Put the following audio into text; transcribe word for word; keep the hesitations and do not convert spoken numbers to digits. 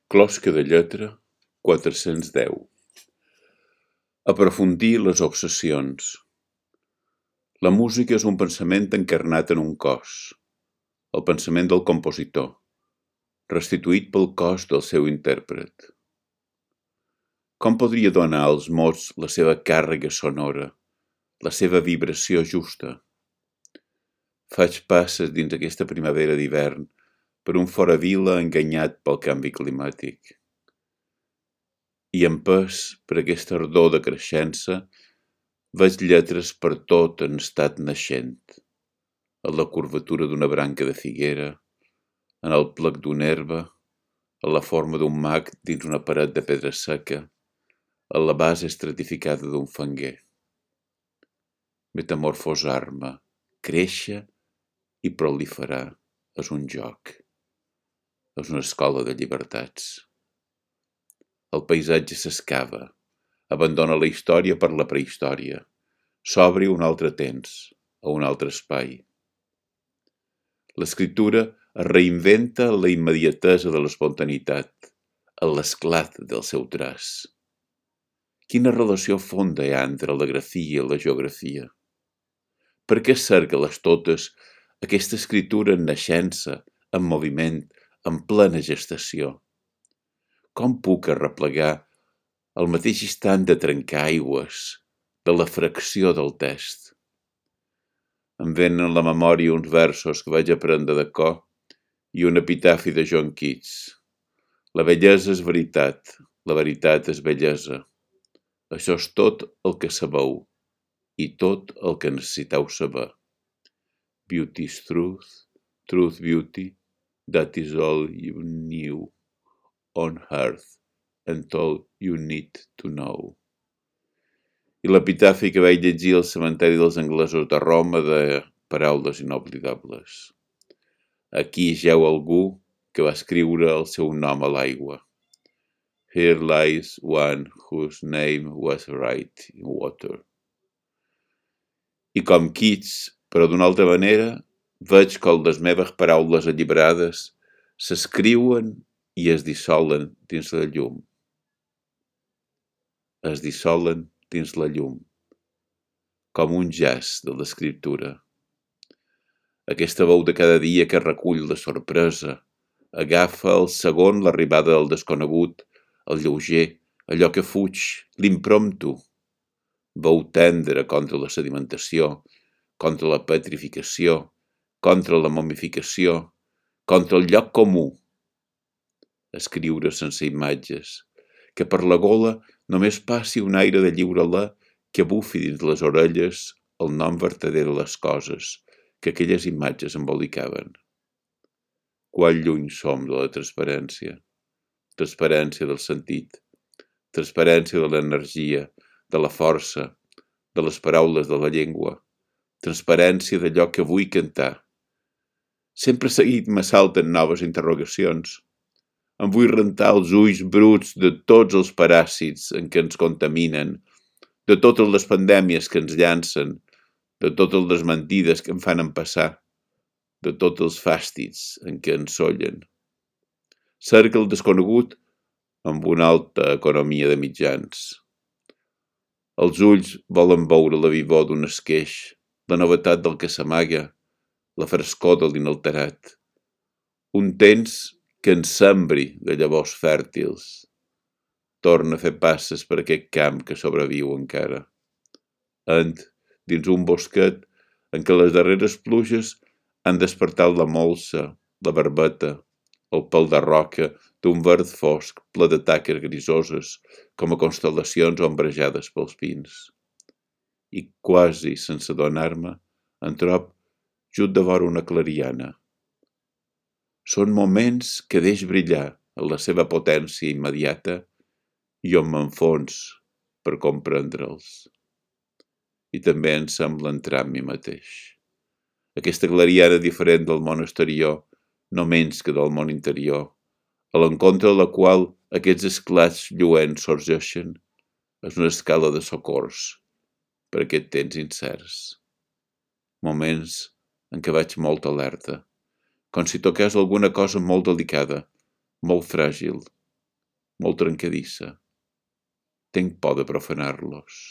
Closca de lletra quatre-cents deu. Aprofundir les obsessions. La música és un pensament encarnat en un cos, el pensament del compositor, restituït pel cos del seu intèrpret. Com podria donar als mots la seva càrrega sonora, la seva vibració justa? Faig passes dins aquesta primavera d'hivern per un fora vila enganyat pel canvi climàtic. I empès per aquesta ardor de creixença, veig lletres per tot en estat naixent, en la curvatura d'una branca de figuera, en el plec d'una herba, en la forma d'un mag dins una paret de pedra seca, en la base estratificada d'un fanguer. Metamorfosar-me, créixer i proliferar és un joc, és una escola de llibertats. El paisatge s'escava, abandona la història per la prehistòria, s'obre un altre temps, a un altre espai. L'escriptura es reinventa en la immediatesa de l'espontaneïtat, en l'esclat del seu traç. Quina relació fonda hi ha entre la grafia i la geografia? Per què cerca-les totes aquesta escriptura en naixença, en moviment, en plena gestació? Com puc arreplegar el mateix instant de trencar aigües, de la fracció del test? Em venen a la memòria uns versos que vaig aprendre de cor i un epitafi de John Keats. La bellesa és veritat, la veritat és bellesa. Això és tot el que sabeu i tot el que necessiteu saber. Beauty is truth, truth beauty, that is all you knew on earth and all you need to know. I l'epitafi que vaig llegir al cementeri dels anglesos de Roma de paraules inoblidables. Aquí jeu algú que va escriure el seu nom a l'aigua. Here lies one whose name was right in water. I com Keats, però d'una altra manera, veig que les meves paraules alliberades s'escriuen i es dissolen dins la llum. Es dissolen dins la llum, com un jazz de l'escriptura. Aquesta veu de cada dia que recull la sorpresa, agafa el segon l'arribada del desconegut, el lleuger, allò que fuig, l'impromptu. Veu tendra contra la sedimentació, contra la petrificació, contra la momificació, contra el lloc comú. Escriure sense imatges, que per la gola només passi un aire de lliure alè que bufi dins les orelles el nom vertader de les coses que aquelles imatges embolicaven. Quant lluny som de la transparència, transparència del sentit, transparència de l'energia, de la força, de les paraules de la llengua, transparència d'allò que vull cantar. Sempre seguit m'assalten noves interrogacions. Em vull rentar els ulls bruts de tots els paràsits en què ens contaminen, de totes les pandèmies que ens llancen, de totes les mentides que em fan empassar, de tots els fàstids en què ens sollen. Cerca el desconegut amb una alta economia de mitjans. Els ulls volen veure la vivor d'un esqueix, la novetat del que s'amaga, la frescor de l'inalterat. Un temps que ens sembri de llavors fèrtils. Torna a fer passes per aquest camp que sobreviu encara. Ent, dins un bosquet en què les darreres pluges han despertat la molsa, la barbeta, el pèl de roca d'un verd fosc ple de taques grisoses com a constel·lacions ombrejades pels pins. I quasi sense adonar-me, en trob just de vora una clariana. Són moments que deix brillar en la seva potència immediata i on m'enfons per comprendre'ls. I també em sembla entrar en mi mateix. Aquesta clariana diferent del món exterior, no menys que del món interior, a l'encontre de la qual aquests esclats lluents sorgeixen, és una escala de socors per aquest temps incerts. Moments en què vaig molt alerta, com si toqués alguna cosa molt delicada, molt fràgil, molt trencadissa. Tenc por de profanar-los.